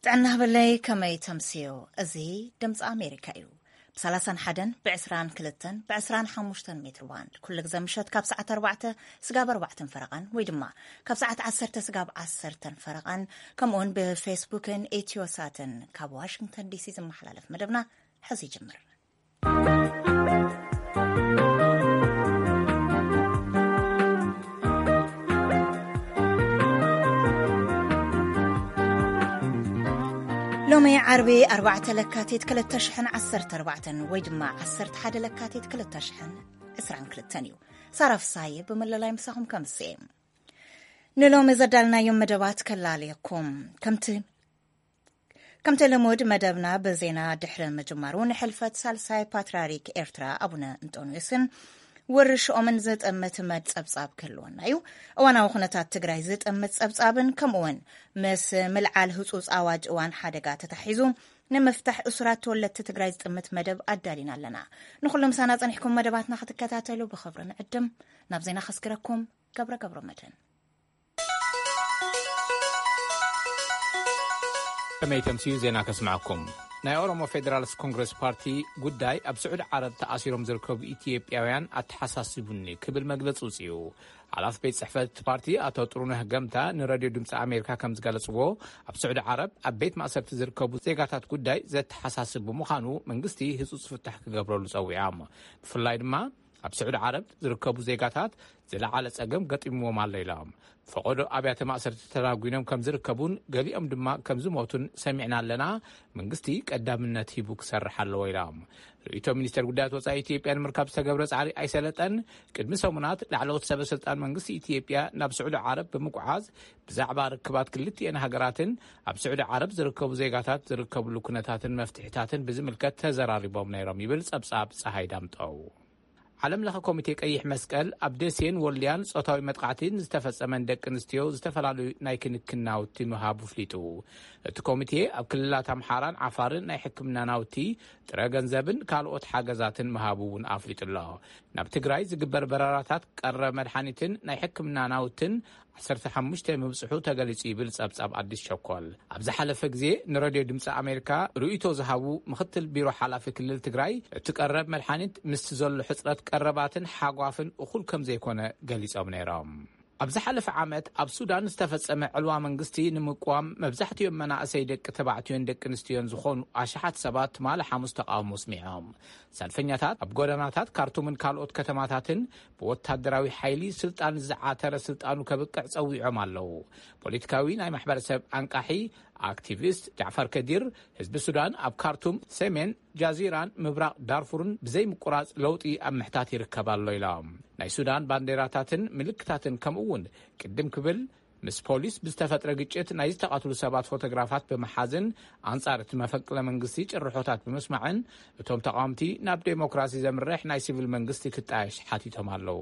ጥዕና በለይ፣ ከመይ ተምስዮ? እዚ ድምፂ ኣሜሪካ እዩ። ብ31፣ ብ22፣ ብ25 ሜትር ባንድ ኩሉ ግዜ ምሸት ካብ ሰዓት ኣርባዕተ ስጋብ ኣርባዕተን ፈረቓን ወይ ድማ ካብ ሰዓት ዓሰርተ ስጋብ ዓሰርተን ፈረቓን፣ ከምኡውን ብፌስቡክን ኢትዮሳትን ካብ ዋሽንግተን ዲሲ ዝመሓላለፍ መደብና ሕዚ ይጅምር። ሎሚ ዓርቢ ኣርባዕተ ለካቲት ክልተ ሽሕን ዓሰርተ ኣርባዕተን ወይ ድማ ዓሰርተ ሓደ ለካቲት ክልተ ሽሕን ዕስራን ክልተን እዩ። ሳራ ፍሳዬ ብምልላይ ምሳኹም ከምስየ። ንሎሚ ዘዳልናዮም መደባት ከላልየኩም። ከምቲ ከምቲ ልሙድ መደብና ብዜና ድሕሪ ምጅማሩ፣ ንሕልፈት ሳልሳይ ፓትርያርክ ኤርትራ ኣቡነ እንጦንዮስን ውርሽኦምን ዝጥምት መድ ጸብጻብ ክህልወና እዩ። እዋናዊ ኩነታት ትግራይ ዝጥምት ጸብጻብን ከምኡውን ምስ ምልዓል ህጹጽ ኣዋጅ እዋን ሓደጋ ተታሒዙ ንምፍታሕ እሱራት ተወለድቲ ትግራይ ዝጥምት መደብ ኣዳሊና ኣለና። ንኹሉ ምሳና ጸኒሕኩም መደባትና ክትከታተሉ ብኽብሪ ንዕድም። ናብ ዜና ከስግረኩም። ገብረ ገብረ መድህን። ከመይ ተምስዩ ዜና ከስምዐኩም። ናይ ኦሮሞ ፌደራልስ ኮንግረስ ፓርቲ ጉዳይ ኣብ ስዑዲ ዓረብ ተኣሲሮም ዝርከቡ ኢትዮጵያውያን ኣተሓሳሲቡኒ ክብል መግለጺ ውፅኡ። ሓላፊ ቤት ጽሕፈት ፓርቲ ኣቶ ጥሩነህ ገምታ ንረድዮ ድምፂ ኣሜሪካ ከም ዝገለጽዎ፣ ኣብ ስዑዲ ዓረብ ኣብ ቤት ማእሰርቲ ዝርከቡ ዜጋታት ጉዳይ ዘተሓሳስብ ብምዃኑ መንግስቲ ህፁፅ ፍታሕ ክገብረሉ ጸዊዖም። ብፍላይ ድማ ኣብ ስዑዲ ዓረብ ዝርከቡ ዜጋታት ዝለዓለ ጸገም ገጢምዎም ኣሎ ኢሎም። ፈቐዶ ኣብያተ ማእሰርቲ ተዳጒኖም ከም ዝርከቡን ገሊኦም ድማ ከም ዝሞቱን ሰሚዕና ኣለና። መንግስቲ ቀዳምነት ሂቡ ክሰርሕ ኣለዎ ኢሎም። ርእይቶ ሚኒስቴር ጉዳያት ወጻኢ ኢትዮጵያ ንምርካብ ዝተገብረ ጻዕሪ ኣይሰለጠን። ቅድሚ ሰሙናት ላዕለዎት ሰበ ስልጣን መንግስቲ ኢትዮጵያ ናብ ስዑዲ ዓረብ ብምጉዓዝ ብዛዕባ ርክባት ክልቲኤን ሃገራትን ኣብ ስዑዲ ዓረብ ዝርከቡ ዜጋታት ዝርከብሉ ኩነታትን መፍትሒታትን ብዝምልከት ተዘራሪቦም ነይሮም ይብል ጸብጻብ ጸሃይ ዳምጠው። ዓለም ለኸ ኮሚቴ ቀይሕ መስቀል ኣብ ደሴን ወልድያን ጾታዊ መጥቃዕቲ ንዝተፈጸመን ደቂ ኣንስትዮ ዝተፈላለዩ ናይ ክንክን ናውቲ ምሃቡ ኣፍሊጡ። እቲ ኮሚቴ ኣብ ክልላት ኣምሓራን ዓፋርን ናይ ሕክምና ናውቲ፣ ጥረ ገንዘብን ካልኦት ሓገዛትን ምሃቡ እውን ኣፍሊጡ ኣሎ። ናብ ትግራይ ዝግበር በረራታት ቀረብ መድሓኒትን ናይ ሕክምና ናውትን ዓሰርተ ሓሙሽተ ምብጽሑ ተገሊጹ ይብል ጸብጻብ ኣዲስ ሸኮል። ኣብ ዝሓለፈ ግዜ ንረድዮ ድምፂ ኣሜሪካ ርእይቶ ዝሃቡ ምኽትል ቢሮ ሓላፊ ክልል ትግራይ፣ እቲ ቀረብ መድሓኒት ምስቲ ዘሎ ሕጽረት ቀረባትን ሓጓፍን እኹል ከም ዘይኮነ ገሊጾም ነይሮም። ኣብ ዝሓለፈ ዓመት ኣብ ሱዳን ዝተፈጸመ ዕልዋ መንግስቲ ንምቅዋም መብዛሕትኦም መናእሰይ ደቂ ተባዕትዮን ደቂ ኣንስትዮን ዝኾኑ ኣሽሓት ሰባት ትማሊ ሓሙስ ተቃውሞ ኣስሚዖም። ሰልፈኛታት ኣብ ጎደናታት ካርቱምን ካልኦት ከተማታትን ብወታደራዊ ሓይሊ ስልጣን ዝዓተረ ስልጣኑ ከብቅዕ ጸዊዖም ኣለዉ። ፖለቲካዊ ናይ ማሕበረሰብ ኣንቃሒ ኣክቲቪስት ጃዕፈር ከዲር፣ ህዝቢ ሱዳን ኣብ ካርቱም፣ ሰሜን ጃዚራን ምብራቕ ዳርፉርን ብዘይ ምቁራጽ ለውጢ ኣብ ምሕታት ይርከብ ኣሎ ኢሎም። ናይ ሱዳን ባንዴራታትን ምልክታትን ከምኡ እውን ቅድም ክብል ምስ ፖሊስ ብዝተፈጥረ ግጭት ናይ ዝተቐትሉ ሰባት ፎቶግራፋት ብምሓዝን ኣንጻር እቲ መፈንቅለ መንግስቲ ጭርሖታት ብምስማዕን እቶም ተቓወምቲ ናብ ዴሞክራሲ ዘምርሕ ናይ ሲቪል መንግስቲ ክጣየሽ ሓቲቶም ኣለዉ።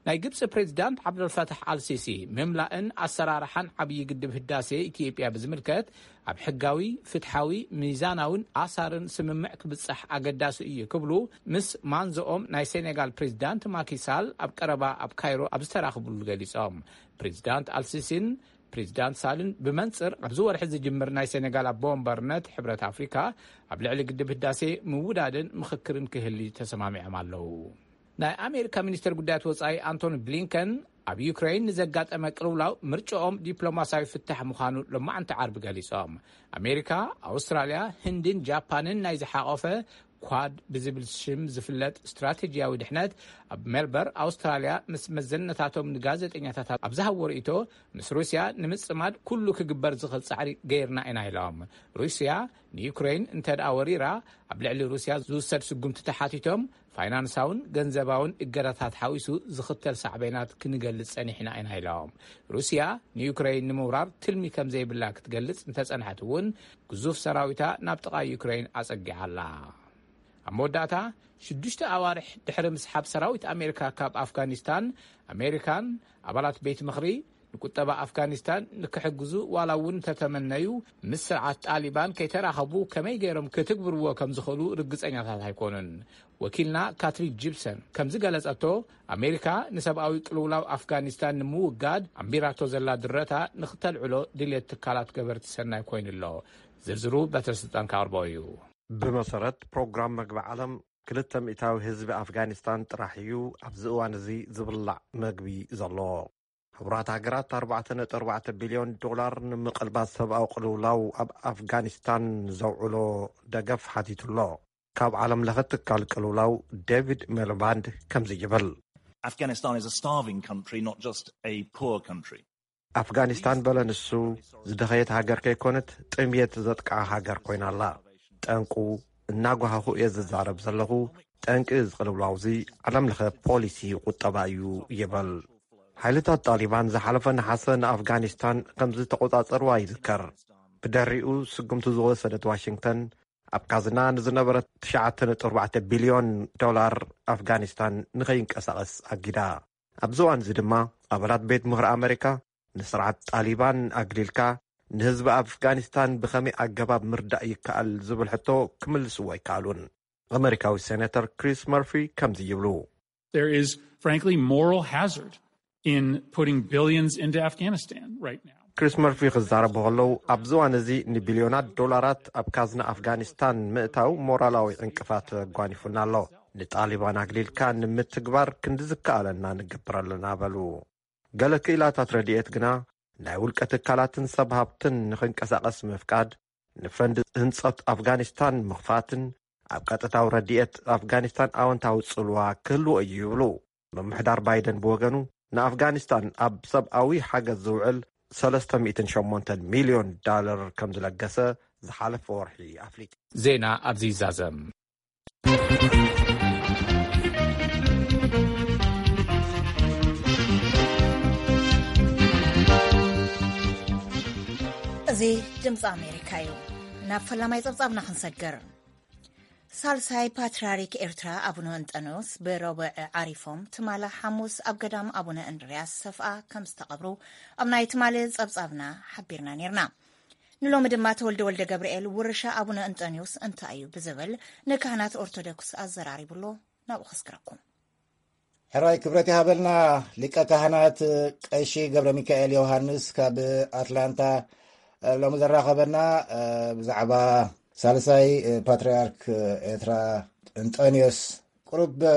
ናይ ግብፂ ፕሬዚዳንት ዓብደልፈታሕ ኣልሲሲ፣ ምምላእን ኣሰራርሓን ዓብዪ ግድብ ህዳሴ ኢትዮጵያ ብዝምልከት ኣብ ሕጋዊ፣ ፍትሓዊ፣ ሚዛናውን ኣሳርን ስምምዕ ክብጻሕ ኣገዳሲ እዩ ክብሉ ምስ ማንዝኦም ናይ ሴኔጋል ፕሬዚዳንት ማኪሳል ኣብ ቀረባ ኣብ ካይሮ ኣብ ዝተራኽቡሉ ገሊጾም። ፕሬዚዳንት ኣልሲሲን ፕሬዚዳንት ሳልን ብመንጽር ኣብዚ ወርሒ ዝጅምር ናይ ሴኔጋል ኣቦ ወንበርነት ሕብረት ኣፍሪካ ኣብ ልዕሊ ግድብ ህዳሴ ምውዳድን ምኽክርን ክህሊ ተሰማሚዖም ኣለዉ። ናይ ኣሜሪካ ሚኒስትር ጉዳያት ወጻኢ ኣንቶኒ ብሊንከን ኣብ ዩክሬን ንዘጋጠመ ቅልውላው ምርጫኦም ዲፕሎማሲያዊ ፍታሕ ምዃኑ ሎማዕንቲ ዓርቢ ገሊጾም። ኣሜሪካ፣ ኣውስትራልያ፣ ህንድን ጃፓንን ናይ ዝሓቖፈ ኳድ ብዝብል ሽም ዝፍለጥ ስትራቴጂያዊ ድሕነት ኣብ ሜልበር ኣውስትራልያ ምስ መዘነታቶም ንጋዜጠኛታት ኣብ ዝሃብዎ ርእይቶ፣ ምስ ሩስያ ንምጽማድ ኩሉ ክግበር ዝኽእል ጻዕሪ ገይርና ኢና ኢሎም። ሩስያ ንዩክሬን እንተ ደኣ ወሪራ ኣብ ልዕሊ ሩስያ ዝውሰድ ስጉምቲ ተሓቲቶም ፋይናንሳውን ገንዘባውን እገዳታት ሓዊሱ ዝኽተል ሳዕቤናት ክንገልጽ ጸኒሕና ኢና ኢሎም። ሩስያ ንዩክሬን ንምውራር ትልሚ ከም ዘይብላ ክትገልጽ እንተጸንሐት እውን ግዙፍ ሰራዊታ ናብ ጥቓ ዩክሬን ኣጸጊዓ ኣላ። ኣብ መወዳእታ ሽዱሽተ ኣዋርሕ ድሕሪ ምስሓብ ሰራዊት ኣሜሪካ ካብ ኣፍጋኒስታን ኣሜሪካን ኣባላት ቤት ምኽሪ ንቁጠባ ኣፍጋኒስታን ንክሕግዙ ዋላ እውን እንተተመነዩ፣ ምስ ስርዓት ጣሊባን ከይተራኸቡ ከመይ ገይሮም ክትግብርዎ ከም ዝኽእሉ ርግጸኛታት ኣይኮኑን። ወኪልና ካትሪን ጂፕሰን ከም ዝገለጸቶ፣ ኣሜሪካ ንሰብኣዊ ቅልውላው ኣፍጋኒስታን ንምውጋድ ኣንቢራቶ ዘላ ድረታ ንክተልዕሎ ድሌት ትካላት ገበርቲ ሰናይ ኮይኑ ኣሎ። ዝርዝሩ በትረ ስልጣን ካቕርቦ እዩ። ብመሰረት ፕሮግራም መግቢ ዓለም፣ ክልተ ሚእታዊ ህዝቢ ኣፍጋኒስታን ጥራሕ እዩ ኣብዚ እዋን እዚ ዝብላዕ መግቢ ዘለዎ። ሕቡራት ሃገራት ኣርባዕተ ነጥቢ ኣርባዕተ ቢልዮን ዶላር ንምቕልባስ ሰብኣዊ ቅልውላው ኣብ ኣፍጋኒስታን ዘውዕሎ ደገፍ ሓቲቱ ኣሎ። ካብ ዓለም ለኸ ትካል ቅልውላው ዴቪድ ሚሊባንድ ከምዚ ይብል። Afghanistan is a starving country, not just a poor country. ኣፍጋኒስታን፣ በለ ንሱ፣ ዝደኸየት ሃገር ከይኮነት ጥምየት ዘጥቃ ሃገር ኮይና ኣላ። ጠንቁ እናጓሃኹ እየ ዝዛረብ ዘለኹ። ጠንቂ እዚ ቅልውላው እዚ ዓለም ለኸ ፖሊሲ ቁጠባ እዩ ይብል። ሓይልታት ጣሊባን ዝሓለፈ ነሓሰ ንኣፍጋኒስታን ከም ዝተቆጻጸርዋ ይዝከር። ብድሕሪኡ ስጉምቲ ዝወሰደት ዋሽንግተን፣ ኣብ ካዝና ንዝነበረ ትሽዓተ ነጥቢ ኣርባዕተ ቢልዮን ዶላር ኣፍጋኒስታን ንኸይንቀሳቐስ ኣጊዳ። ኣብዚ እዋን እዚ ድማ ኣባላት ቤት ምኽሪ ኣመሪካ፣ ንስርዓት ጣሊባን ኣግሊልካ ንህዝቢ ኣፍጋኒስታን ብኸመይ ኣገባብ ምርዳእ ይከኣል ዝብል ሕቶ ክምልስዎ ኣይከኣሉን። ኣመሪካዊ ሴኔተር ክሪስ መርፊ ከምዚ ይብሉ። There is, frankly, moral hazard in putting billions into Afghanistan right now. ክሪስ መርፊ ክዛረቡ ከለዉ፣ ኣብዚ እዋን እዚ ንቢልዮናት ዶላራት ኣብ ካዝና ኣፍጋኒስታን ምእታው ሞራላዊ ዕንቅፋት ኣጓኒፉና ኣሎ። ንጣሊባን ኣግሊልካ ንምትግባር ክንዲ ዝከኣለና ንገብር ኣለና በሉ። ገለ ክኢላታት ረድኤት ግና፣ ናይ ውልቀ ትካላትን ሰብ ሃብትን ንኽንቀሳቐስ ምፍቃድ፣ ንፈንድ ህንጸት ኣፍጋኒስታን ምኽፋትን ኣብ ቀጥታዊ ረድኤት ኣፍጋኒስታን ኣወንታዊ ጽልዋ ክህልዎ እዩ ይብሉ። ምምሕዳር ባይደን ብወገኑ፣ ንኣፍጋኒስታን ኣብ ሰብኣዊ ሓገዝ ዝውዕል ሰለስተ ሚእትን ሸሞንተን ሚልዮን ዳለር ከም ዝለገሰ ዝሓለፈ ወርሒ ኣፍሊጡ። ዜና ኣብዚ ይዛዘም። እዚ ድምፂ ኣሜሪካ እዩ። ናብ ፈላማይ ጸብጻብና ክንሰግር። ሳልሳይ ፓትርያርክ ኤርትራ ኣቡነ እንጠንዮስ ብረቡዕ ዓሪፎም፣ ትማሊ ሓሙስ ኣብ ገዳም ኣቡነ እንድርያስ ሰፍኣ ከም ዝተቐብሩ ኣብ ናይ ትማሊ ጸብጻብና ሓቢርና ነይርና። ንሎሚ ድማ ተወልደ ወልደ ገብርኤል ውርሻ ኣቡነ እንጠንዮስ እንታይ እዩ ብዝብል ንካህናት ኦርቶዶክስ ኣዘራሪቡ ኣሎ። ናብኡ ከስግረኩም። ሕራይ ክብረት ይሃበልና። ሊቀ ካህናት ቀሺ ገብረ ሚካኤል ዮሃንስ ካብ ኣትላንታ፣ እ፣ ሎሚ ዘራኸበና፣ እ፣ ብዛዕባ ሳልሳይ፣ እ፣ ፓትርያርክ ኤርትራ እንጠንዮስ ቁሩብ፣ እ፣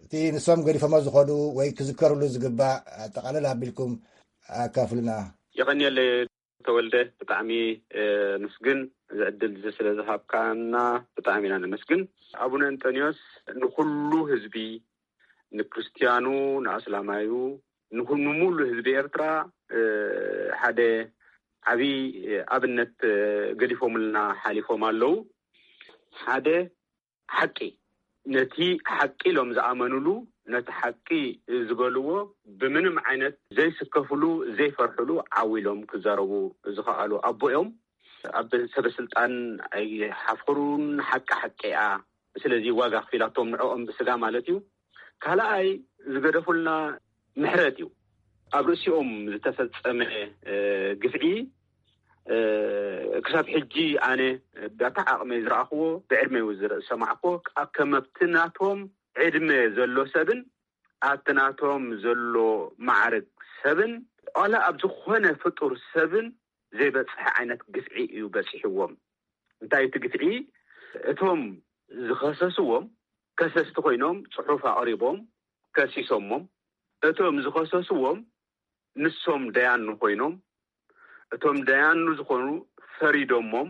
እቲ ንሶም ገዲፎሞ ዝኸዱ ወይ ክዝከርሉ ዝግባእ ኣጠቓልል ኣቢልኩም ኣካፍሉና። የቐንየለይ ተወልደ፣ ብጣዕሚ፣ እ፣ ምስግን፣ እዚ ዕድል እዚ ስለ ዝሃብካና ብጣዕሚ ኢና ነመስግን። ኣቡነ እንጠንዮስ ንኹሉ ህዝቢ፣ ንክርስትያኑ፣ ንኣስላማዩ፣ ንኹ-፣ ንሙሉ ህዝቢ ኤርትራ፣ እ፣ ሓደ ዓብዪ፣ እ፣ ኣብነት፣ እ፣ ገዲፎምልና ሓሊፎም ኣለዉ። ሓደ ሓቂ፣ ነቲ ሓቂ ኢሎም ዝኣመኑሉ፣ ነቲ ሓቂ ዝበልዎ ብምንም ዓይነት ዘይስከፉሉ፣ ዘይፈርሑሉ ዓው ኢሎም ክዛረቡ ዝኸኣሉ ኣቦ እዮም። ኣብ ሰበ ስልጣን ኣይሓፍሩን። ሓቂ ሓቂ እያ። ስለዚ ዋጋ ኣኽፊላቶም ንዕኦም ብስጋ ማለት እዩ። ካልኣይ ዝገደፉልና ምሕረት እዩ። ኣብ ርእሲኦም ዝተፈጸመ፣ እ፣ ግፍዒ፣ እ፣ ክሳብ ሕጂ ኣነ ብኣታ ዓቕመይ ዝረኣኽዎ፣ ብዕድመይ እውን ዝረ-፣ ዝሰማዕክዎ፣ ኣብ ከም ኣብቲ ናቶም ዕድመ ዘሎ ሰብን ኣብቲ ናቶም ዘሎ ማዕርግ ሰብን ዋላ ኣብ ዝኾነ ፍጡር ሰብን ዘይበጽሐ ዓይነት ግፍዒ እዩ በጺሕዎም። እንታይ እቲ ግፍዒ? እቶም ዝኸሰስዎም ከሰስቲ ኮይኖም ጽሑፍ ኣቕሪቦም ከሲሶሞም። እቶም ዝኸሰስዎም ንሶም ደያኑ ኮይኖም፣ እቶም ደያኑ ዝኾኑ ፈሪዶሞም።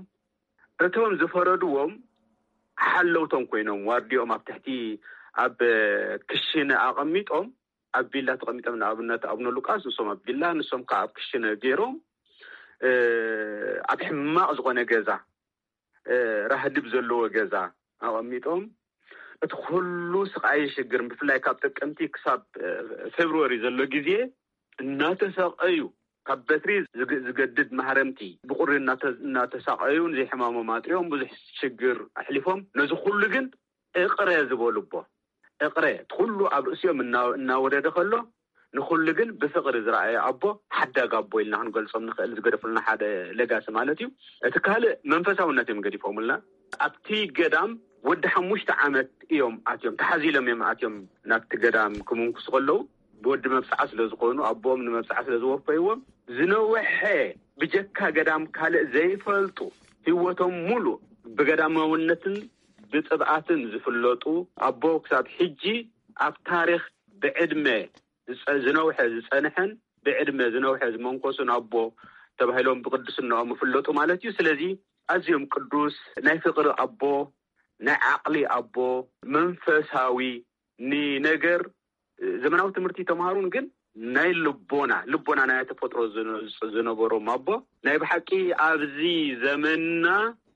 እቶም ዝፈረድዎም ሓለውቶም ኮይኖም፣ ዋርዲኦም ኣብ ትሕቲ፣ ኣብ ክሽነ ኣቐሚጦም፣ ኣብ ቪላ ተቐሚጦም፣ ንኣብነት ኣቡነ ሉቃስ፣ ንሶም ኣብ ቪላ፣ ንሶም ከዓ ኣብ ክሽነ ገይሮም፣ እ፣ ኣብ ሕማቕ ዝኾነ ገዛ፣ እ፣ ራህድብ ዘለዎ ገዛ ኣቐሚጦም፣ እቲ ኩሉ ስቓይ ሽግር፣ ብፍላይ ካብ ጥቅምቲ ክሳብ፣ እ፣ ፌብርዋሪ ዘሎ ግዜ እናተሳቐዩ፣ ካብ በትሪ ዝግ-፣ ዝገድድ ማህረምቲ ብቑሪ እናተ-፣ እናተሳቐዩ፣ ንዘይሕማሞም ኣጥርዮም ብዙሕ ሽግር ኣሕሊፎም፣ ነዚ ኩሉ ግን እቕረ ዝበሉ ኣቦ፣ እቕረ፣ እቲ ኩሉ ኣብ ርእሲኦም እና-፣ እናወረደ ከሎ፣ ንኹሉ ግን ብፍቕሪ ዝረኣየ ኣቦ፣ ሓዳግ ኣቦ ኢልና ክንገልጾም ንኽእል፣ ዝገደፉልና ሓደ ለጋሲ ማለት እዩ። እቲ ካልእ መንፈሳውነት እዮም ገዲፎምልና። ኣብቲ ገዳም ወዲ ሓሙሽተ ዓመት እዮም ኣትዮም፣ ተሓዚሎም እዮም ኣትዮም ናብቲ ገዳም ክምንኩሱ ከለዉ፣ ብወዲ መብጽዓ ስለ ዝኾኑ፣ ኣቦኦም ንመብጽዓ ስለ ዝወፈይዎም፣ ዝነውሐ ብጀካ ገዳም ካልእ ዘይፈልጡ፣ ህይወቶም ሙሉእ ብገዳማውነትን ብጽብኣትን ዝፍለጡ ኣቦ፣ ክሳብ ሕጂ ኣብ ታሪኽ ብዕድመ ዝጸ-፣ ዝነውሐ ዝጸንሐን ብዕድመ ዝነውሐ ዝመንኮሱን ኣቦ ተባሂሎም ብቅድስናኦም ይፍለጡ ማለት እዩ። ስለዚ ኣዝዮም ቅዱስ ናይ ፍቅሪ ኣቦ፣ ናይ ዓቕሊ ኣቦ፣ መንፈሳዊ፣ ንነገር ዘመናዊ ትምህርቲ ተምሃሩን ግን ናይ ልቦና፣ ልቦና ናይ ተፈጥሮ ዝነ-፣ ዝነበሮም ኣቦ፣ ናይ ብሓቂ ኣብዚ ዘመንና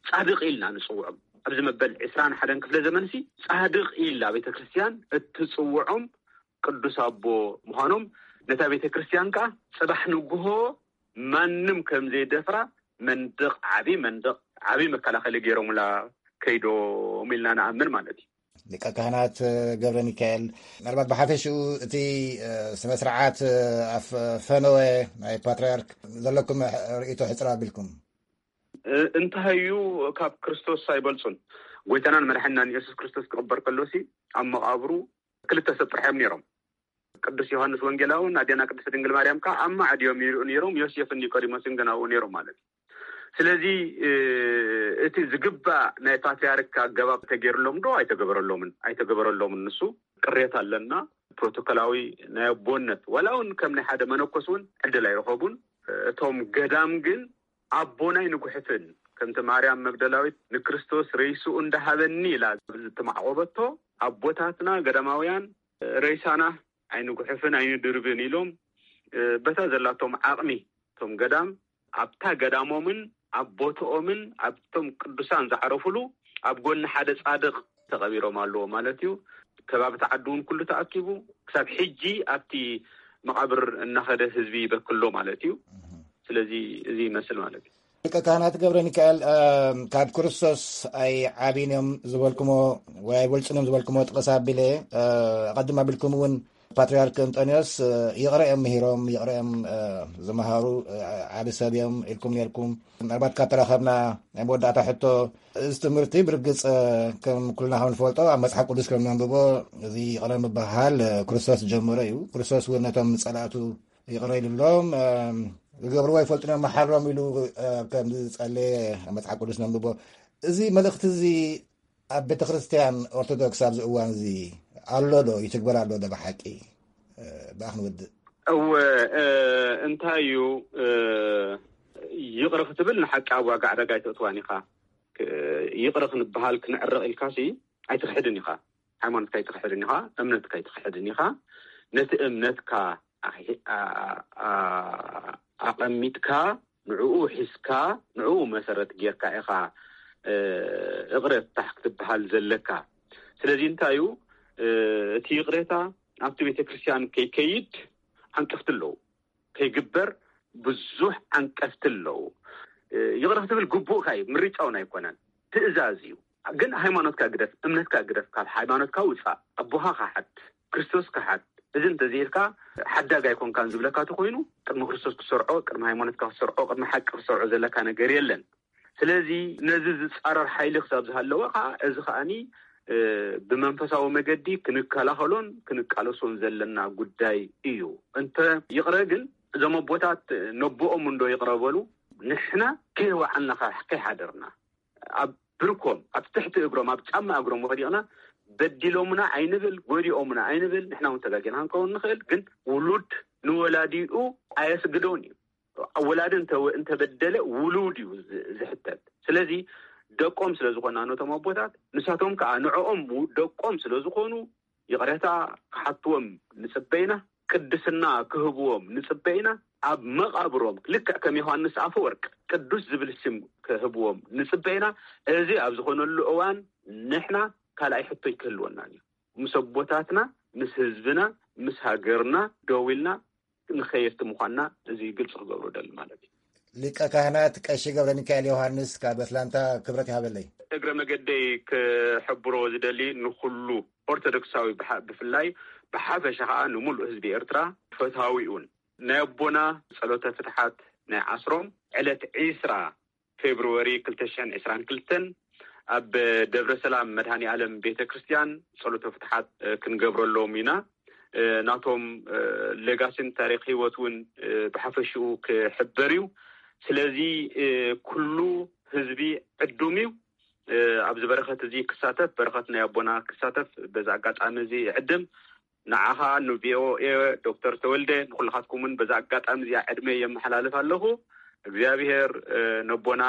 ጻድቕ ኢልና ንጽውዖም። ኣብዚ መበል ዕስራን ሓደን ክፍለ ዘመንሲ ጻድቕ ኢላ ቤተ ክርስቲያን እትጽውዖም ቅዱስ ኣቦ ምዃኖም፣ ነታ ቤተ ክርስቲያን ከኣ ጽባሕ ንግሆ ማንም ከም ዘይደፍራ መንደቕ፣ ዓቢ መንደቕ፣ ዓቢ መከላኸሊ ገይሮምላ ከይዶም ኢልና ንኣምን ማለት እዩ። ሊቀ ካህናት ገብረ ሚካኤል፣ ምናልባት ብሓፈሽኡ እቲ፣ እ፣ ስነ ስርዓት፣ እ፣ ኣፍ-፣ ፈነወ ናይ ፓትርያርክ ዘለኩም ርእይቶ ሕጽር ኣቢልኩም። እ፣ እንታይ እዩ፣ ካብ ክርስቶስ ኣይበልጹን። ጎይታናን መድሓኒናን ኢየሱስ ክርስቶስ ክቕበር ከሎሲ ኣብ መቓብሩ ክልተ ሰብ ጥራሕ እዮም ነይሮም። ቅዱስ ዮሃንስ ወንጌላውን ኣዴና ቅድስት ድንግል ማርያም ከኣ ኣብ ማዕድ እዮም ይርእዩ ነይሮም። ዮሴፍን ኒቆዲሞስን ግን ኣብኡ ነይሮም ማለት እዩ። ስለዚ፣ እ፣ እቲ ዝግባእ ናይ ፓትርያርክ ኣገባብ ተገይርሎም ዶ ኣይተገበረሎምን? ኣይተገበረሎምን። ንሱ ቅሬታ ኣለና። ፕሮቶኮላዊ ናይ ኣቦነት፣ ዋላ እውን ከም ናይ ሓደ መነኮስ እውን ዕድል ኣይረኸቡን። እቶም ገዳም ግን ኣቦና ኣይንጉሕፍን፣ ከምቲ ማርያም መግደላዊት ንክርስቶስ ሬስኡ እንዳሃበኒ ኢላ ዝተማዕቆበቶ፣ ኣቦታትና ገዳማውያን ሬሳና ኣይንጉሕፍን ኣይንድርብን ኢሎም፣ እ፣ በታ ዘላቶም ዓቕሚ እቶም ገዳም ኣብታ ገዳሞምን ኣብ ቦትኦምን ኣብቶም ቅዱሳን ዝዓረፉሉ ኣብ ጎኒ ሓደ ጻድቕ ተቐቢሮም ኣለዎ ማለት እዩ። ከባቢ እቲ ዓዲ እውን ኩሉ ተኣኪቡ ክሳብ ሕጂ ኣብቲ መቓብር እናኸደ ህዝቢ ይበክሎ ማለት እዩ። ስለዚ እዚ ይመስል ማለት እዩ። ሊቀ ካህናት ገብረ ሚካኤል፣ እ፣ ካብ ክርስቶስ ኣይዓብን እዮም ዝበልኩሞ ወይ ኣይበልጹን እዮም ዝበልኩሞ ጥቕስ ኣቢለ፣ እ፣ ኣቐድም ኣቢልኩም እውን ፓትርያርክ እንጦንዮስ፣ እ፣ ይቕረ እዮም ምሂሮም፣ ይቕረ እዮም፣ እ፣ ዝመሃሩ፣ እ፣ ዓቢ ሰብ እዮም ኢልኩም ነርኩም። ምናልባት ካብ ተራኸብና ናይ መወዳእታ ሕቶ፣ እዚ ትምህርቲ ብርግጽ፣ እ፣ ከም ኩልና ከም ንፈልጦ ኣብ መጽሓፍ ቅዱስ ከም ነንብቦ፣ እዚ ይቕረ ምብሃል፣ እ፣ ክርስቶስ ዝጀመረ እዩ። ክርስቶስ እውን ነቶም ጸላእቱ ይቕረ ኢሉሎም፣ እ፣ ዝገብርዎ ይፈልጡ እዮም፣ መሓሮም ኢሉ፣ እ፣ ከም ዝጸለየ ኣብ መጽሓፍ ቅዱስ ነንብቦ። እዚ መልእኽቲ እዚ ኣብ ቤተ ክርስቲያን ኦርቶዶክስ ኣብዚ እዋን እዚ ኣሎ ዶ? ይትግበር ኣሎ ዶ ብሓቂ? እ፣ ብኣ ክንወድእ። እወ፣ እ፣ እንታይ እዩ፣ እ፣ ይቕረ ክትብል ንሓቂ ኣብ ዋጋ ዕዳጋ ኣይተእትዋን ኢኻ። ክ-፣ ይቕረ ክንበሃል ክንዕረቕ ኢልካሲ ኣይትኽሕድን ኢኻ። ሃይማኖትካ ኣይትኽሕድን ኢኻ፣ እምነትካ ኣይትኽሕድን ኢኻ። ነቲ እምነትካ ኣኺ-፣ ኣ-፣ ኣ-፣ ኣቐሚጥካ፣ ንዕኡ ሒዝካ፣ ንዕኡ መሰረት ጌርካ ኢኻ፣ እ፣ እቕረታ ክትበሃል ዘለካ። ስለዚ እንታይ እዩ፣ እ፣ እቲ ይቕሬታ ኣብቲ ቤተ ክርስቲያን ከይከይድ ዓንቀፍቲ ኣለዉ፣ ከይግበር ብዙሕ ዓንቀፍቲ ኣለዉ። እ፣ ይቕረ ክትብል ግቡእካ እዩ፣ ምርጫውን ኣይኮነን፣ ትእዛዝ እዩ። ግን ሃይማኖትካ ግደፍ፣ እምነትካ ግደፍ፣ ካብ ሃይማኖትካ ውጻእ፣ ኣቦኻ ክሓድ፣ ክርስቶስ ክሓድ። እዚ እንተዘይልካ ሓዳግ ኣይኮንካን ዝብለካ ተኮይኑ፣ ቅድሚ ክርስቶስ ክትሰርዖ፣ ቅድሚ ሃይማኖትካ ክትሰርዖ፣ ቅድሚ ሓቂ ክትሰርዖ ዘለካ ነገር የለን። ስለዚ ነዚ ዝጻረር ሓይሊ ክሳብ ዝሃለወ ከኣ፣ እዚ ከኣኒ፣ እ፣ ብመንፈሳዊ መገዲ ክንከላኸሎን ክንቃለሶን ዘለና ጉዳይ እዩ። እንተ ይቕረ ግን፣ እዞም ኣቦታት ነቦኦም እንዶ ይቕረ በሉ፣ ንሕና ከይወዓልና ከ-፣ ከይሓደርና፣ ኣብ ብርኮም፣ ኣብ ትሕቲ እግሮም፣ ኣብ ጫማ እግሮም ወዲቕና፣ በዲሎምና ኣይንብል፣ ጎዲኦምና ኣይንብል። ንሕና እውን ተጋጊና ክንከውን ንኽእል፣ ግን ውሉድ ንወላዲኡ ኣየስግዶን እዩ። ወላዲ እንተ-፣ እንተበደለ ውሉድ እዩ ዝ-፣ ዝሕተት። ስለዚ ደቆም ስለ ዝኾና ነቶም ኣቦታት፣ ንሳቶም ከኣ ንዕኦም ደቆም ስለ ዝኾኑ፣ ይቕሬታ ክሓትዎም ንጽበ ኢና። ቅድስና ክህብዎም ንጽበ ኢና። ኣብ መቓብሮም ልክዕ ከም ዮሃንስ ኣፈወርቅ ቅዱስ ዝብል ስም ክህብዎም ንጽበ ኢና። እዚ ኣብ ዝኾነሉ እዋን ንሕና ካልኣይ ሕቶ ኣይክህልወናን እዩ። ምስ ኣቦታትና፣ ምስ ህዝብና፣ ምስ ሃገርና ደው ኢልና ንኸየድቲ ምዃንና እዚ ግልጺ ክገብሮ ደሊ ማለት እዩ። ሊቀ ካህናት ቀሺ ገብረ ሚካኤል ዮሃንስ ካብ ኣትላንታ፣ ክብረት ይሃበለይ። እግረ መገደይ ክሕብሮ ዝደሊ ንኹሉ ኦርቶዶክሳዊ ብሓ-፣ ብፍላይ ብሓፈሻ ከዓ ንምሉእ ህዝቢ ኤርትራ ፈትሃዊ እውን ናይ ኣቦና ጸሎተ ፍትሓት ናይ ዓስሮም ዕለት ዒስራ ፌብርዋሪ ክልተ ሽሕን ዕስራን ክልተን ኣብ ደብረ ሰላም መድኃኔ ዓለም ቤተ ክርስቲያን ጸሎተ ፍትሓት ክንገብረሎም ኢና። ናቶም ሌጋሲን ታሪኽ ህይወት እውን ብሓፈሽኡ ክሕበር እዩ። ስለዚ ኩሉ ህዝቢ ዕዱም እዩ ኣብዚ በረኸት እዚ ክሳተፍ፣ በረኸት ናይ ኣቦና ክሳተፍ በዚ ኣጋጣሚ እዚ ይዕድም። ንዓኻ ንቪኦኤ ዶክተር ተወልደ ንኩልኻትኩምን በዚ ኣጋጣሚ እዚኣ ዕድመ የመሓላልፍ ኣለኹ። እግዚኣብሔር ነቦና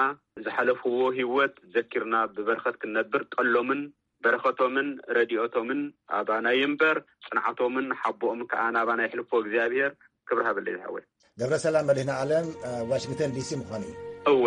ዝሓለፍዎ ህይወት ዘኪርና ብበረኸት ክንነብር ጠሎምን በረኸቶምን ረድኤቶምን ኣባና ይንበር፣ ጽንዓቶምን ሓቦኦም ከኣ ናባና ይሕልፎ እግዚኣብሔር። ክብሪ ሃበለይ ዝሓወይ። ገብረሰላም መድህን ዓለም፣ ዋሽንግተን ዲሲ ምዃኑ እዩ። እወ።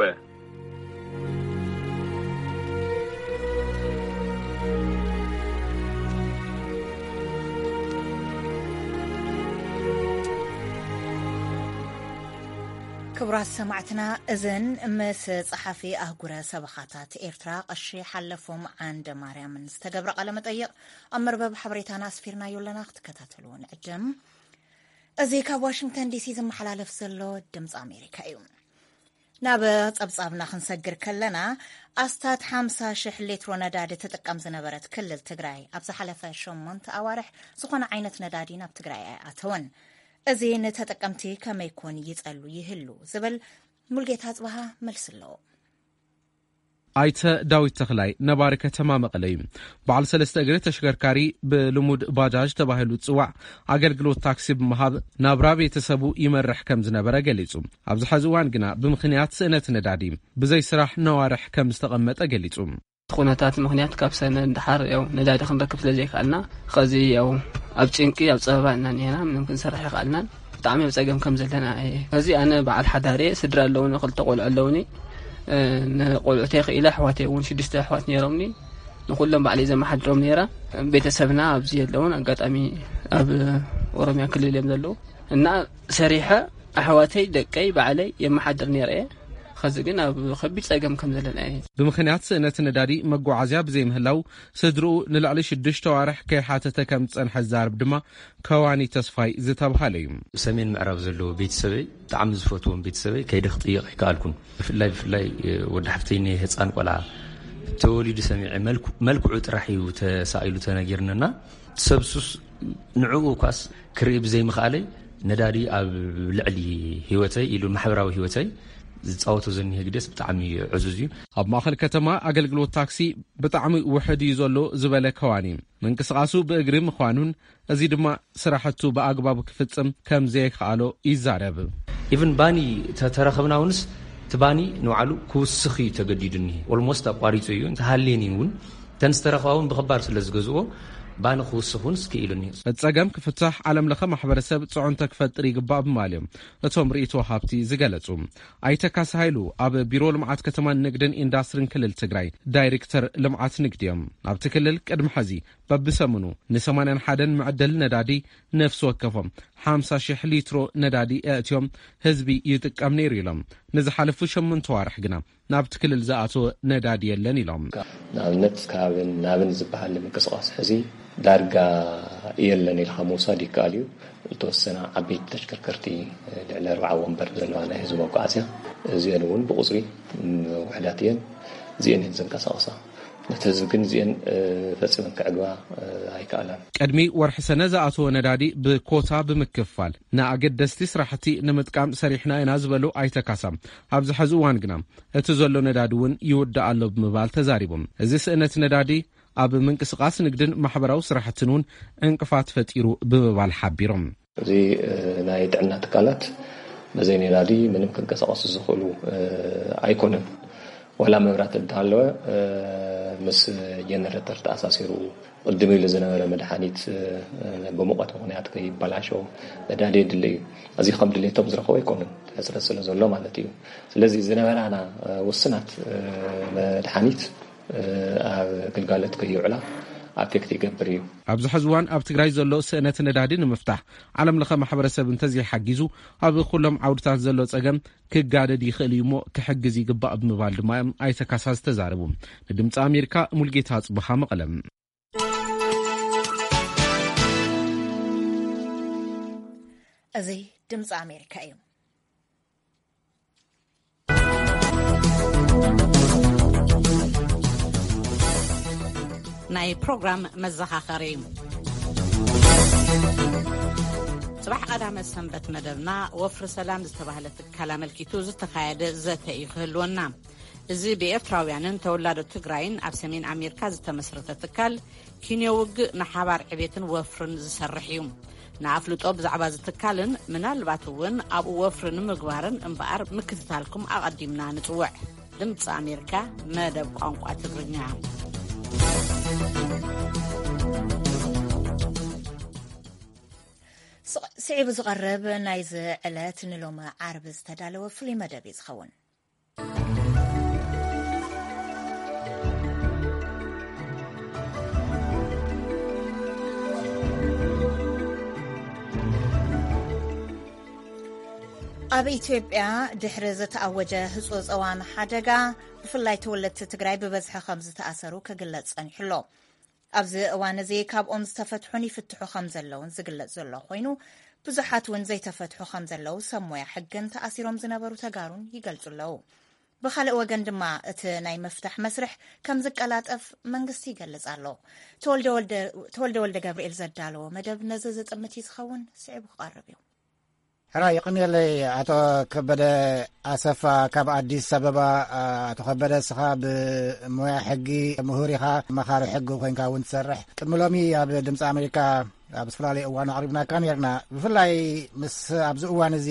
ክቡራት ሰማዕትና፣ እዘን ምስ ጸሓፊ ኣህጉረ ሰበኻታት ኤርትራ ቀሺ ሓለፎም ዓንደ ማርያምን ዝተገብረ ቃለ መጠይቕ ኣብ መርበብ ሓበሬታና ኣስፊርናዮ ኣለና፣ ክትከታተልዎ ንዕድም። እዚ ካብ ዋሽንግተን ዲሲ ዝመሓላለፍ ዘሎ ድምፂ ኣሜሪካ እዩ። ናብ ጸብጻብና ክንሰግር ከለና፣ ኣስታት ሓምሳ ሽሕ ሊትሮ ነዳዲ ትጥቀም ዝነበረት ክልል ትግራይ ኣብ ዝሓለፈ ሸሞንተ ኣዋርሕ ዝኾነ ዓይነት ነዳዲ ናብ ትግራይ ኣይኣተወን። እዚ ንተጠቀምቲ ከመይ ኮን ይጸሉ ይህሉ ዝብል ሙልጌታ ኣጽብሃ መልሲ ኣለዎ። ኣይተ ዳዊት ተኽላይ ነባሪ ከተማ መቐለ እዩ። በዓል ሰለስተ እግሪ ተሽከርካሪ፣ ብልሙድ ባጃጅ ተባሂሉ ዝጽዋዕ፣ ኣገልግሎት ታክሲ ብምሃብ ናብራ ቤተሰቡ ይመርሕ ከም ዝነበረ ገሊጹ። ኣብዚ ሐዚ እዋን ግና ብምኽንያት ስእነት ነዳዲ ብዘይ ስራሕ ነዋርሕ ከም ዝተቐመጠ ገሊጹ። እቲ ኩነታት ምኽንያት ካብ ሰነ ንደሓር ያው ነዳዲ ክንረክብ ስለ ዘይከኣልና፣ ኸዚ ያው ኣብ ጭንቂ፣ ኣብ ጸበባ እና እኒሄና፣ ምንም ክንሰርሕ ይኸኣልናን። ብጣዕሚ ኣብ ጸገም ከም ዘለና እየ። ኸዚ ኣነ በዓል ሓዳር እየ፣ ስድራ ኣለውኒ፣ ክልተ ቆልዑ ኣለውኒ። እ፣ ንቆልዑተይ ክኢለ፣ ኣሕዋተይ እውን ሽዱሽተ ኣሕዋት ነይሮምኒ። ንኹሎም ባዕለይ ዘመሓድሮም ነይረ። ቤተሰብና ኣብዚ የለውን፣ ኣጋጣሚ ኣብ ኦሮሚያ ክልል እዮም ዘለዉ። እና ሰሪሐ ኣሕዋተይ፣ ደቀይ፣ ባዕለይ የመሓድር ነይረ እየ። ኸዚ ግን ኣብ ኸቢድ ጸገም ከም ዘለና እየ። ብምኽንያት ስእነት ነዳዲ መጓዓዝያ ብዘይምህላው፣ ስድርኡ ንልዕሊ ሽዱሽተ ኣዋርሕ ከይሓተተ ከም ዝጸንሐ ዝዛረብ ድማ ከዋኒ ተስፋይ ዝተብሃለ እዩ። ሰሜን ምዕራብ ዘለዉ ቤተሰበይ፣ ብጣዕሚ ዝፈትዎም ቤተሰበይ፣ ከይደ ክጥይቕ ኣይከኣልኩን። ብፍላይ፣ ብፍላይ፣ እ፣ ወዲ ሓፍተይ፣ ናይ ህፃን ቆልዓ ተወሊዱ ሰሚዐ፣ መልኩ-፣ መልክዑ ጥራሕ እዩ ተሳኢሉ ተነጊርንና። ሰብሱስ ንዕኡ እኳስ ክርኢ ብዘይምኽኣለይ፣ ነዳዲ ኣብ ልዕሊ ህይወተይ ኢሉ ማሕበራዊ ህይወተይ ዝጻወቶ ዘኒሀ ግደስ ብጣዕሚ ዕዙዝ እዩ። ኣብ ማእኸል ከተማ ኣገልግሎት ታክሲ ብጣዕሚ ውሕድ እዩ ዘሎ ዝበለ ከዋኒ፣ ምንቅስቓሱ ብእግሪ ምዃኑን እዚ ድማ ስራሕቱ ብኣግባቡ ክፍጽም ከም ዘይከኣሎ ይዛረብ። ኢቭን ባኒ ተተረኸብና እውንስ እቲ ባኒ ንባዕሉ ክውስኽ እዩ ተገዲዱ እኒሄ። ኦልሞስት ኣቋሪጹ እዩ። እንተሃልየን እዩ እውን፣ እተን ዝተረኽባ እውን ብኽባር ስለ ዝገዝእዎ፣ ባኒ ክውስኽ እውን ስክኢሉ እኒሄ። እቲ ጸገም ክፍታሕ ዓለም ለኸ ማሕበረሰብ ጽዕንቶ ክፈጥር ይግባእ ብምባል እዮም እቶም ርእይቶ ሃብቲ ዝገለጹ። ኣይተ ካሳ ሃይሉ ኣብ ቢሮ ልምዓት ከተማን ንግድን ኢንዳስትሪን ክልል ትግራይ ዳይሬክተር ልምዓት ንግዲ እዮም። ኣብቲ ክልል ቅድሚ ሐዚ በብሰሙኑ ንሰማንያን ሓደን መዕደሊ ነዳዲ ነፍሲ ወከፎም ሓምሳ ሺሕ ሊትሮ ነዳዲ ኣእትዮም ህዝቢ ይጥቀም ነይሩ ኢሎም። ንዝሓለፉ ሸሞንተ ዋርሕ ግና ናብቲ ክልል ዝኣተወ ነዳዲ የለን ኢሎም። ንኣብነት ካብን ናብን ዝበሃል ምንቅስቓስ ሕዚ ዳርጋ የለን ኢልካ ምውሳድ ይከኣል እዩ። ዝተወሰና ዓበይቲ ተሽከርከርቲ፣ ልዕሊ ኣርብዓ ወንበር ዘለዋ ናይ ህዝቢ መጓዓዝያ፣ እዚአን እውን ብቑፅሪ ውሕዳት እየን። እዚአን እየን ዘንቀሳቕሳ። ነቲ ህዝቢ ግን እዚአን፣ እ፣ ፈጺመን ክዕግባ፣ እ፣ ኣይከኣላን። ቅድሚ ወርሒ ሰነ ዝኣተወ ነዳዲ ብኮታ ብምክፋል ንኣገደስቲ ስራሕቲ ንምጥቃም ሰሪሕና ኢና ዝበሉ ኣይተ ካሳ፣ ኣብዚ ሐዚ እዋን ግና እቲ ዘሎ ነዳዲ እውን ይውዳእ ኣሎ ብምባል ተዛሪቦም። እዚ ስእነት ነዳዲ ኣብ ምንቅስቓስ ንግድን ማሕበራዊ ስራሕትን እውን ዕንቅፋት ፈጢሩ ብምባል ሓቢሮም። እዚ፣ እ፣ ናይ ጥዕና ትካላት በዘይ ነዳዲ ምንም ክንቀሳቐሱ ዝኽእሉ፣ እ፣ ኣይኮኑን። ዋላ መብራት እንተሃለወ፣ እ፣ ምስ ጀነሬተር ተኣሳሲሩ ቅድም ኢሉ ዝነበረ መድሓኒት፣ እ፣ ብሙቐት ምኽንያት ከይበላሾ ነዳዲ የድሊ እዩ። እዚ ከም ድሌቶም ዝረኸቡ ኣይኮኑን፣ ሕፅረት ስለ ዘሎ ማለት እዩ። ስለዚ ዝነበራና፣ እ፣ ውስናት፣ እ፣ መድሓኒት፣ እ፣ ኣብ ግልጋሎት ከይውዕላ ኣፌክት ይገብር እዩ። ኣብዚ ሕዚ እዋን ኣብ ትግራይ ዘሎ ስእነት ነዳዲ ንምፍታሕ ዓለም ለኸ ማሕበረሰብ እንተዘይሓጊዙ ኣብ ኩሎም ዓውድታት ዘሎ ጸገም ክጋደድ ይኽእል እዩ እሞ ክሕግዝ ይግባእ ብምባል ድማ እዮም ኣይተ ካሳ ዝተዛረቡ። ንድምፂ ኣሜሪካ ሙልጌታ ኣፅብሃ መቐለም። እዚ ድምፂ ኣሜሪካ እዩ። ናይ ፕሮግራም መዘኻኸሪ። ጽባሕ ቀዳመ ሰንበት መደብና ወፍሪ ሰላም ዝተባህለ ትካል ኣመልኪቱ ዝተኻየደ ዘተ እዩ ክህልወና። እዚ ብኤርትራውያንን ተወላዶ ትግራይን ኣብ ሰሜን ኣሜሪካ ዝተመስረተ ትካል ኪንዮ ውግእ ንሓባር ዕቤትን ወፍርን ዝሰርሕ እዩ። ንኣፍልጦ ብዛዕባ እዚ ትካልን ምናልባት እውን ኣብኡ ወፍሪ ንምግባርን እምበኣር ምክትታልኩም ኣቐዲምና ንጽውዕ። ድምፂ ኣሜሪካ መደብ ቋንቋ ትግርኛ። ስቕ- ስዒቡ ዝቐርብ ናይዚ ዕለት ንሎሚ ዓርቢ ዝተዳለወ ፍሉይ መደብ እዩ ዝኸውን። ኣብ ኢትዮጵያ ድሕሪ ዝተኣወጀ ህጹጽ እዋን ሓደጋ፣ ብፍላይ ተወለድቲ ትግራይ ብበዝሒ ከም ዝተኣሰሩ ክግለጽ ጸኒሑ ኣሎ። ኣብዚ እዋን እዚ ካብኦም ዝተፈትሑን ይፍትሑ ከም ዘለውን ዝግለጽ ዘሎ ኮይኑ፣ ብዙሓት እውን ዘይተፈትሑ ከም ዘለዉ ሰብ ሞያ ሕግን ተኣሲሮም ዝነበሩ ተጋሩን ይገልጹ ኣለዉ። ብኻልእ ወገን ድማ እቲ ናይ ምፍታሕ መስርሕ ከም ዝቀላጠፍ መንግስቲ ይገልጽ ኣሎ። ተወልደ ወልደ፣ ተወልደ ወልደ ገብርኤል ዘዳለዎ መደብ ነዚ ዝጥምት እዩ ዝኸውን፣ ስዒቡ ክቐርብ እዩ። ሕራይ የቐንየለይ ኣቶ ከበደ ኣሰፋ ካብ ኣዲስ ኣበባ። ኣቶ ከበደ፣ እስኻ ብሞያ ሕጊ ምሁር ኢኻ፣ መኻሪ ሕጊ ኮይንካ እውን ትሰርሕ። ቅድሚ ሎሚ ኣብ ድምፂ ኣሜሪካ ኣብ ዝተፈላለዩ እዋን ኣቕሪብናካ ነርና። ብፍላይ ምስ ኣብዚ እዋን እዚ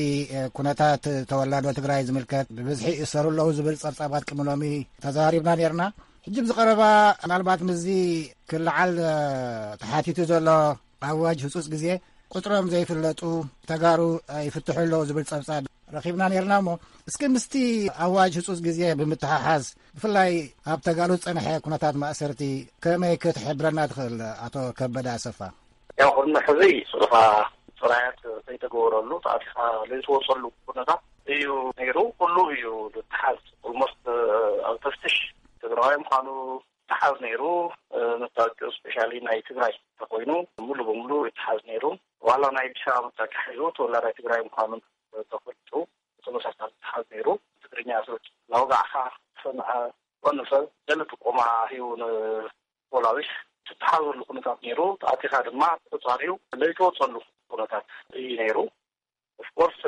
ኩነታት ተወላዶ ትግራይ ዝምልከት ብብዝሒ ይእሰሩ ኣለዉ ዝብል ጸብጻባት ቅድሚ ሎሚ ተዛሪብና ነርና። ሕጂ ኣብዚ ቀረባ ምናልባት ምስዚ ክለዓል ተሓቲቱ ዘሎ ኣዋጅ ህጹጽ ግዜ ቁጽሮም ዘይፍለጡ ተጋሩ ይፍትሑ ኣለዉ ዝብል ጸብጻብ ረኺብና ነርና። እሞ እስኪ ምስቲ ኣዋጅ ህጹጽ ግዜ ብምትሓሓዝ ብፍላይ ኣብ ተጋሩ ዝጸንሐ ኩነታት ማእሰርቲ ከመይ ክትሕብረና ትኽእል ኣቶ ከበደ ኣሰፋ? ያው ቅድሚ ሕዚ ስልኻ ጥራያት ዘይተገበረሉ ተኣቲኻ ዘይትወፀሉ ኩነታት እዩ ነይሩ። ኩሉ እዩ ዝተሓዝ። ኦልሞስት ኣብ ተፍትሽ ትግራዋይ ምዃኑ ተሓዝ ነይሩ። መታወቂኡ ስፔሻሊ ናይ ትግራይ ተኮይኑ ሙሉ በሙሉ ይተሓዝ ነይሩ። ዋላ ናይ ኣዲስ ኣበባ መታወቂያ ሒዙ ተወላዳይ ትግራይ ምዃኑ ተፈልጡ ብተመሳሳሊ ተሓዝ ነይሩ። ትግርኛ ስርጭት እናወጋዕካ ሰምዐ ኮነ ሰብ ገለ ጥቆማ ሂቡ ንፖላዊስ ትተሓዘሉ ኩነታት ነይሩ። ተኣቲኻ ድማ ተቆጻሪው ለይተወጸሉ ኩነታት እዩ ነይሩ። ኦፍኮርስ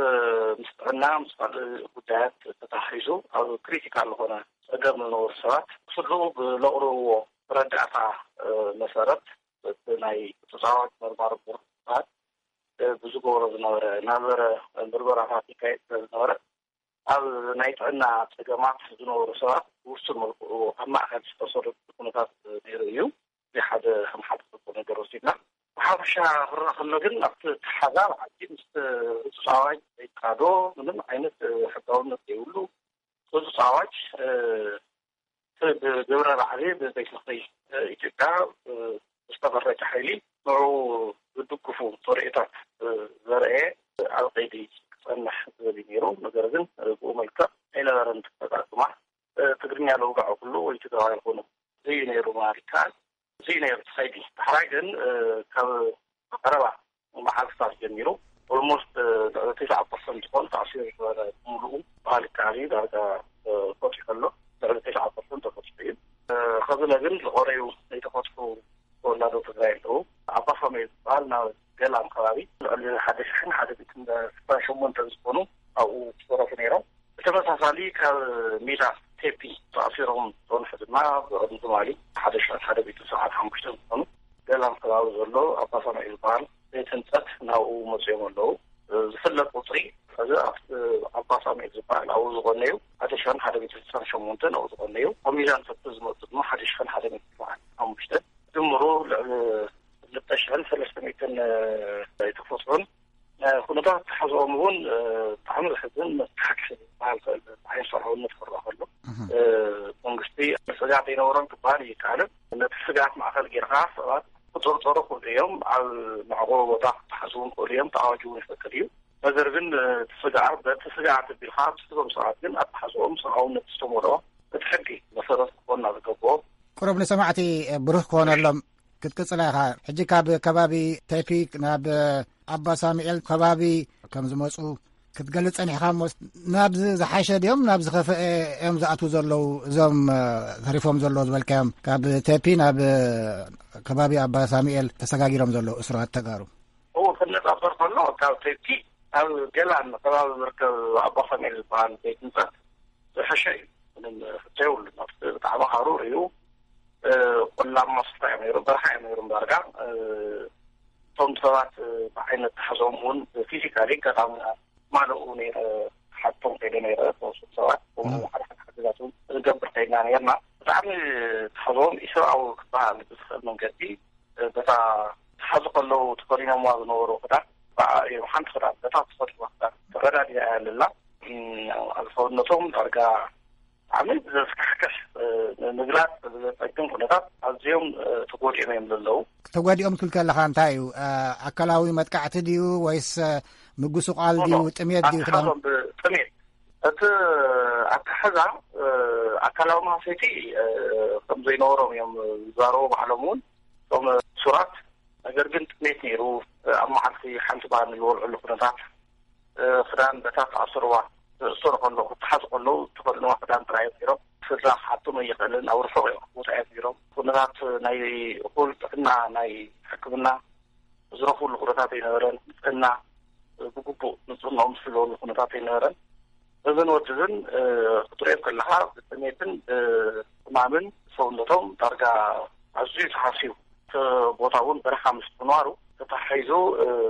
ምስ ጥዕና ምስ ካልእ ጉዳያት ተተሓሒዙ ኣብ ክሪቲካል ዝኾነ ጸገም ዝነበሩ ሰባት ክስልኡ ብለቕርብዎ መረዳእታ መሰረት እቲ ናይ ተጻዋት መርማሪ ቦርድ ብዝገብሮ ዝነበረ እናበረ ምርመራታት ይካየድ ስለ ዝነበረ ኣብ ናይ ጥዕና ጸገማት ዝነበሩ ሰባት ብውሱን መልክዑ ኣብ ማእከል ዝተሰረቱ ኩነታት ነይሩ እዩ። እዚ ሓደ ከም ሓደ ጽቡቅ ነገር ወሲድና። ብሓፈሻ ክረኣ ከሎ ግን ኣብቲ ተሓዛ ብዓዲ ምስ ህጹጽ ኣዋጅ ዘይቃዶ ምንም ዓይነት ሕጋውነት ዘይብሉ ህጹጽ ኣዋጅ እቲ ብግብረ ራዕዲ ብቤት ምኽሪ ኢትዮጵያ ዝተመረጸ ሓይሊ ንዕኡ ዝድግፉ ተርእዮታት ዘርአ ኣብ ቀይዲ ክጸንሕ ዝብል እዩ ነይሩ። ነገር ግን ብኡ መልክዕ ኣይነበረን። ተጠቃቅማ ትግርኛ ለውጋዕ ኩሉ ወይ ትግራዋይ ይኹኑ እዚ ነይሩ ማለት ይከኣል። እዚ ነይሩ እቲ ከይዲ። ዳሕራይ ግን ካብ ቀረባ መዓልትታት ጀሚሩ ኦልሞስት ልዕሊ ተስዓ ፐርሰንት ዝኾን ተኣሲሩ ዝነበረ ሙሉኡ ባህል ይከኣል እዩ ዳርጋ ፈትሑ ከሎ ልዕሊ ተስዓ ፐርሰንት ተፈትሑ እዩ። ከዚ ግን ዝቆረዩ ዘይተፈትሑ ተወላዶ ትግራይ ኣለዉ። ኣባ ሳሙኤል ዝበሃል ናብ ገላም ከባቢ ልዕሊ ሓደ ሽሕን ሓደ ሚእትን ስሳን ሸሞንተን ዝኾኑ ኣብኡ ዝተረፉ ነይሮም። ብተመሳሳሊ ካብ ሜዳ ቴፒ ተኣሲሮም ዝፀንሑ ድማ ብቅድሚ ትማሊ ሓደ ሽሕን ሓደ ሚእትን ሰብዓን ሓሙሽተን ዝኾኑ ገላም ከባቢ ዘሎ ኣባ ሳሙኤል ዝበሃል ቤት ህንፀት ናብኡ መፅኦም ኣለዉ። ዝፍለጥ ቁፅሪ እዚ ኣብ ኣባ ሳሙኤል ዝበሃል ኣብኡ ዝቆነዩ ሓደ ሽሕን ሓደ ሚእትን ስሳን ሸሞንተን ኣብኡ ዝቆነዩ ካብ ሚዛን ቴፒ ዝመፁ ድማ ሓደ ሽሕን ሓደ ሚእትን ሰብዓን ሓሙሽተን ድምሩ ልዕሊ ክልተ ሽሕን ሰለስተ ሚእትን ኣይተፈትሑን። ኩነታት ተሓዝኦም እውን ብጣዕሚ ዘሕዝን መስተሓቅሒ ዝበሃል ክእል ዓይነት ሰብኣውነት ክረኣ ከሎ መንግስቲ ስጋት ኣይነበሮን ክበሃል ይከኣልን። ነቲ ስጋት ማእከል ጌርካ ሰባት ክጥርጠሩ ክእሉ እዮም። ኣብ መዕቆቢ ቦታ ክተሓዙ እውን ክእሉ እዮም። ተኣዋጅ እውን ይፈቅድ እዩ። ነገር ግን እቲ ስግኣት በቲ ስግኣት ኣቢልካ ኣብቲ ስቶም ሰባት ግን ኣተሓዝኦም ሰብኣውነት ዝተመልኦ እቲ ሕጊ መሰረት ክኾንና ዝገብኦ። ቁሩብ ንሰማዕቲ ብሩህ ክኾነሎም ክትቅጽላ ኢኻ። ሕጂ ካብ ከባቢ ቴፒ ናብ ኣባ ሳሙኤል ከባቢ ከም ዝመፁ ክትገልፅ ፀኒሕካ እሞ፣ ናብዚ ዝሓሸ ድዮም ናብ ዝኸፈአ እዮም ዝኣትዉ ዘለዉ እዞም ተሪፎም ዘለዉ ዝበልካዮም? ካብ ቴፒ ናብ ከባቢ ኣባ ሳሙኤል ተሰጋጊሮም ዘለዉ እሱራት ተጋሩ? እዎ፣ ክነፃፀር ከሎ ካብ ቴፒ ኣብ ገላን ከባቢ ዝርከብ ኣባ ሳሙኤል ዝበሃል ቤት ህንፀት ዝሕሸ እዩ። ምንም ሕቶ የብሉን። ኣብቲ ብጣዕሚ ሃሩር እዩ። ቆላማ ስፍራ እዮም ነይሩ፣ በረኻ እዮም ነይሩ። ዳርጋ እቶም ሰባት ብዓይነት ተሓዞም እውን ፊዚካሊ ኣጋጣሚ ማለኡ ነይረ። ሓቶም ከይደ ነይረ ተወሰኑ ሰባት ሓደ ሓደ ሓገዛት እውን ንገብር ከይድና ነርና። ብጣዕሚ ተሓዞም ኢሰብኣዊ ክበሃል ብዝኽእል መንገዲ በታ ተሓዙ ከለዉ ተኸዲኖምዋ ዝነበሩ ክዳን ብኣ እዮም ሓንቲ ክዳን በታ ተኸዲኖም ክዳን ተረዳዲኣ እያ ኣለላ። ኣብ ሰውነቶም ዳርጋ ብጣዕሚ ዘስካሕክሕ፣ ንምግላፅ ዘፀግም ኩነታት ኣዝዮም ተጎዲኦም እዮም ዘለዉ። ተጎዲኦም ትብል ከለኻ እንታይ እዩ? ኣካላዊ መጥቃዕቲ ድዩ ወይስ ምጉስቋል ድዩ? ጥሜት ድዩ? ክዳን ኣተሓዞም ብጥሜት እቲ ኣተሓዛ ኣካላዊ ማህሰይቲ ከም ዘይነበሮም እዮም ዝዛረቡ ባዕሎም እውን እቶም ሱራት። ነገር ግን ጥሜት ነይሩ። ኣብ መዓልቲ ሓንቲ ባኒ ዝበልዕሉ ኩነታት ክዳን በታ ተኣስርዋ ዝእሰሩ ከለዉ ክተሓዙ ከለዉ ተኸድንዋ ክዳን ጥራይ እዮም ነይሮም። ስድራ ክሓቶም ኣይኽእልን። ኣብ ርሑቕ እዮም ክወፁ እዮም ነይሮም። ኩነታት ናይ እኹል ጥዕና ናይ ሕክምና ዝረኽብሉ ኩነታት ኣይነበረን። ንፅህና ብግቡእ ንፅህንኦም ዝሕለወሉ ኩነታት ኣይነበረን። እዝን ወድዝን ክትሪኦም ከለኻ ብጥሜትን ብሕማምን ሰውነቶም ዳርጋ ኣዝዩ ተሃስዩ እቲ ቦታ እውን በረኻ ምስ ምንባሩ ተታሒዙ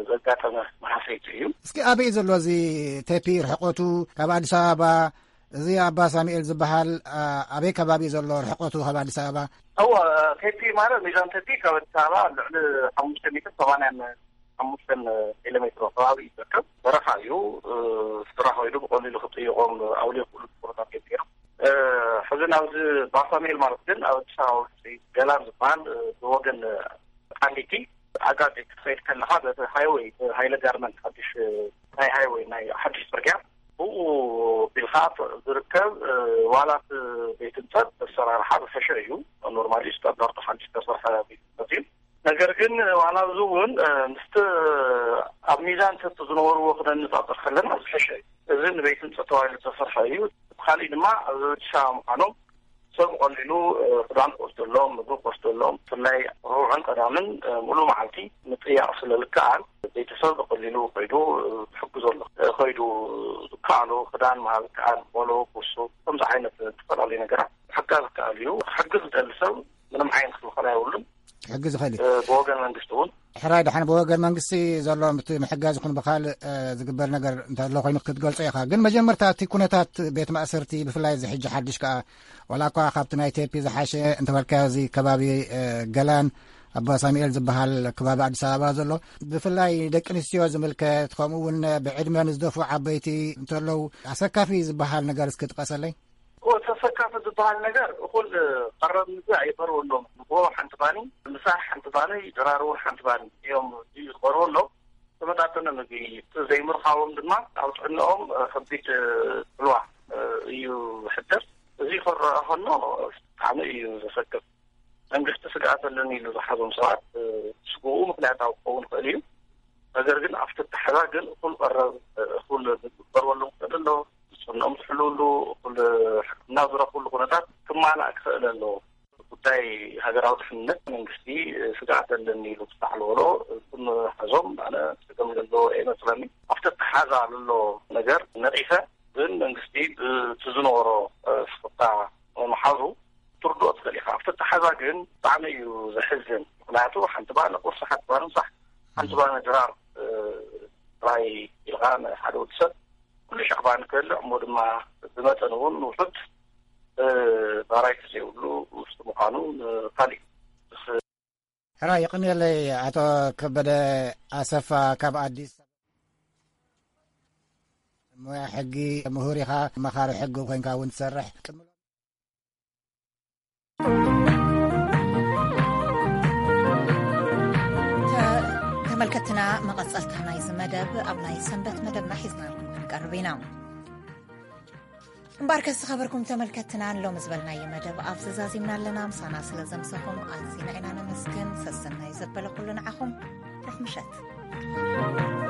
ዘጋጠመ መሃሰይቲ እዩ። እስኪ ኣበይ ዘሎ እዚ ቴፒ ርሕቆቱ ካብ ኣዲስ ኣበባ? እዚ ኣባ ሳሙኤል ዝበሃል ኣበይ ከባቢ ዘሎ ርሕቆቱ ካብ ኣዲስ ኣበባ? እዎ፣ ቴፒ ማለት ሚዛን ቴፒ ካብ ኣዲስ ኣበባ ልዕሊ ሓሙሽተ ሚእትን ሰማንያን ሓሙሽተን ኪሎ ሜትሮ ከባቢ እዩ ዝርከብ። በረኻ እዩ። ስራሕ ወይዱ ብቐሊሉ ክጥይቖም ኣውልዮ ክእሉ ቦታታት እዮም። ሕዚ ናብዚ ባሳሜል ማለት ግን ኣብ ኣዲስ ኣበባ ውሽጢ ገላን ዝበሃል ብወገን ቃሊቲ ኣጋዜ ክትኸይድ ከለኻ በቲ ሃይወይ ሃይለ ጋርመንት ሓድሽ ናይ ሃይወይ ናይ ሓድሽ ፅርግያ ብኡ ቢልካ ዝርከብ ዋላት ቤት ህንፀት ኣሰራርሓ ዝፈሸ እዩ። ኖርማሊ ስታንዳርዱ ሓድሽ ተሰርሐ ቤት ህንፀት እዩ። ነገር ግን ዋላ እዚ እውን ምስቲ ኣብ ሚዛን ሰቲ ዝነበርዎ ክነነፃፅር ከለና ዝፈሸ እዩ። እዚ ንቤት ህንፀት ተባሂሉ ዝተሰርሐ እዩ። ካሊእ ድማ ኣብ ሻ ምዃኖም ሰብ ቀሊሉ ክዳን ክወስደሎም፣ ምግቢ ክወስደሎም፣ ብፍላይ ረቡዕን ቀዳምን ሙሉ መዓልቲ ምጥያቕ ስለ ዝከኣል ቤተሰብ ብቀሊሉ ከይዱ ክሕግዞ ኣሎ። ከይዱ ዝከኣሎ ክዳን ምሃብ ይከኣል፣ ቦሎ፣ ኩሱ፣ ከምዚ ዓይነት ዝተፈላለዩ ነገራት ክሕጋዝ ይከኣል እዩ። ክሕግዝ ዝደሊ ሰብ ምንም ዓይነት ክልኸላ የብሉን። ክሕግዝ ይኽእል እዩ። ብወገን መንግስቲ እውን ሕራይ ደሓን ብወገን መንግስቲ ዘሎ ምት-፣ ምሕጋዝ ይኹን ብኻልእ ዝግበር ነገር እንተሎ ኮይኑ ክትገልጾ ኢኻ። ግን መጀመርታ እቲ ኩነታት ቤት ማእሰርቲ ብፍላይ እዚ ሕጂ ሓድሽ ከኣ ዋላ እኳ ካብቲ ናይ ቴፒ ዝሓሸ እንተበልካዮ እዚ ከባቢ ገላን ኣባ ሳሙኤል ዝበሃል ከባቢ ኣዲስ ኣበባ ዘሎ ብፍላይ ደቂ ኣንስትዮ ዝምልከት ከምኡ እውን ብዕድመ ንዝደፍኡ ዓበይቲ እንተለዉ ኣሰካፊ ዝበሃል ነገር እስኪ ጥቀሰለይ። እኮ ተሰካፊ ዝበሃል ነገር እኹል ቀረብ ምግቢ ኣይቐርበሎም። ንጎ ሓንቲ ባኒ፣ ምሳሕ ሓንቲ ባኒ፣ ድራር እውን ሓንቲ ባኒ እዮም ዝቐርበሎም። ተመጣጠነ ምግቢ ዘይምርካቦም ድማ ኣብ ጥዕናኦም ከቢድ ፅልዋ እዩ ዝሕድር። እዚ ክረኣ ከሎ ብጣዕሚ እዩ ዘሰክፍ። መንግስቲ ስግኣት ኣለኒ ኢሉ ዝሓዞም ሰባት ስግኡ ምክንያታዊ ክኸውን ይኽእል እዩ። ነገር ግን ኣብቲ ኣተሓዛ ግን እኹል ቀረብ እኹል ምግቢ ክቐርበሎም ክኽእል ኣሎ። ንፅህንኦም ዝሕልውሉ እኹል ሕክምና ዝረኽብሉ ኩነታት ክማላእ ክኽእል ኣለዎ። ጉዳይ ሃገራዊ ድሕንነት መንግስቲ ስግኣት ኣለኒ ኢሉ ክሳዕ ዝበሎ እቶም ሓዞም ኣነ ፀገም ዘለዎ ኣይመስለኒ። ኣብቲ ኣተሓዛ ዘሎ ነገር ነቒፈ ግን መንግስቲ ብቲ ዝነበሮ ስፍታ ምሓዙ ትርድኦ ትኽእል ኢኻ። ኣብቲ ኣተሓዛ ግን ብጣዕሚ እዩ ዘሕዝን። ምክንያቱ ሓንቲ ባኒ ቁርሲ፣ ሓንቲ ባኒ ምሳሕ፣ ሓንቲ ባኒ ድራር ጥራይ ኢልካ ንሓደ ወዲ ሰብ ኩሉ ሻዕ ባኒ ክበልዕ እሞ ድማ ብመጠን እውን ውሑድ ባራይቲ ዘይብሉ ውስጢ ምዃኑ ንካሊእ ሕራ የቕንየለይ። ኣቶ ከበደ ኣሰፋ ካብ ኣዲስ ሞያ ሕጊ ምሁር ኢኻ፣ መኻሪ ሕጊ ኮይንካ እውን ትሰርሕ። ተመልከትና፣ መቐጸልታ ናይዚ መደብ ኣብ ናይ ሰንበት መደብና ሒዝናልኩም ክንቀርብ ኢና። እምበኣርከስ ዝኸበርኩም ተመልከትትና፣ ሎሚ ዝበልናዮ መደብ ኣብዚ ዛዚምና ኣለና። ምሳና ስለ ዘምሰኹም ኣዚና ኢና ነመስግን። ሰሰናዩ ዘበለ ኩሉ ንዓኹም። ርሑቕ ምሸት።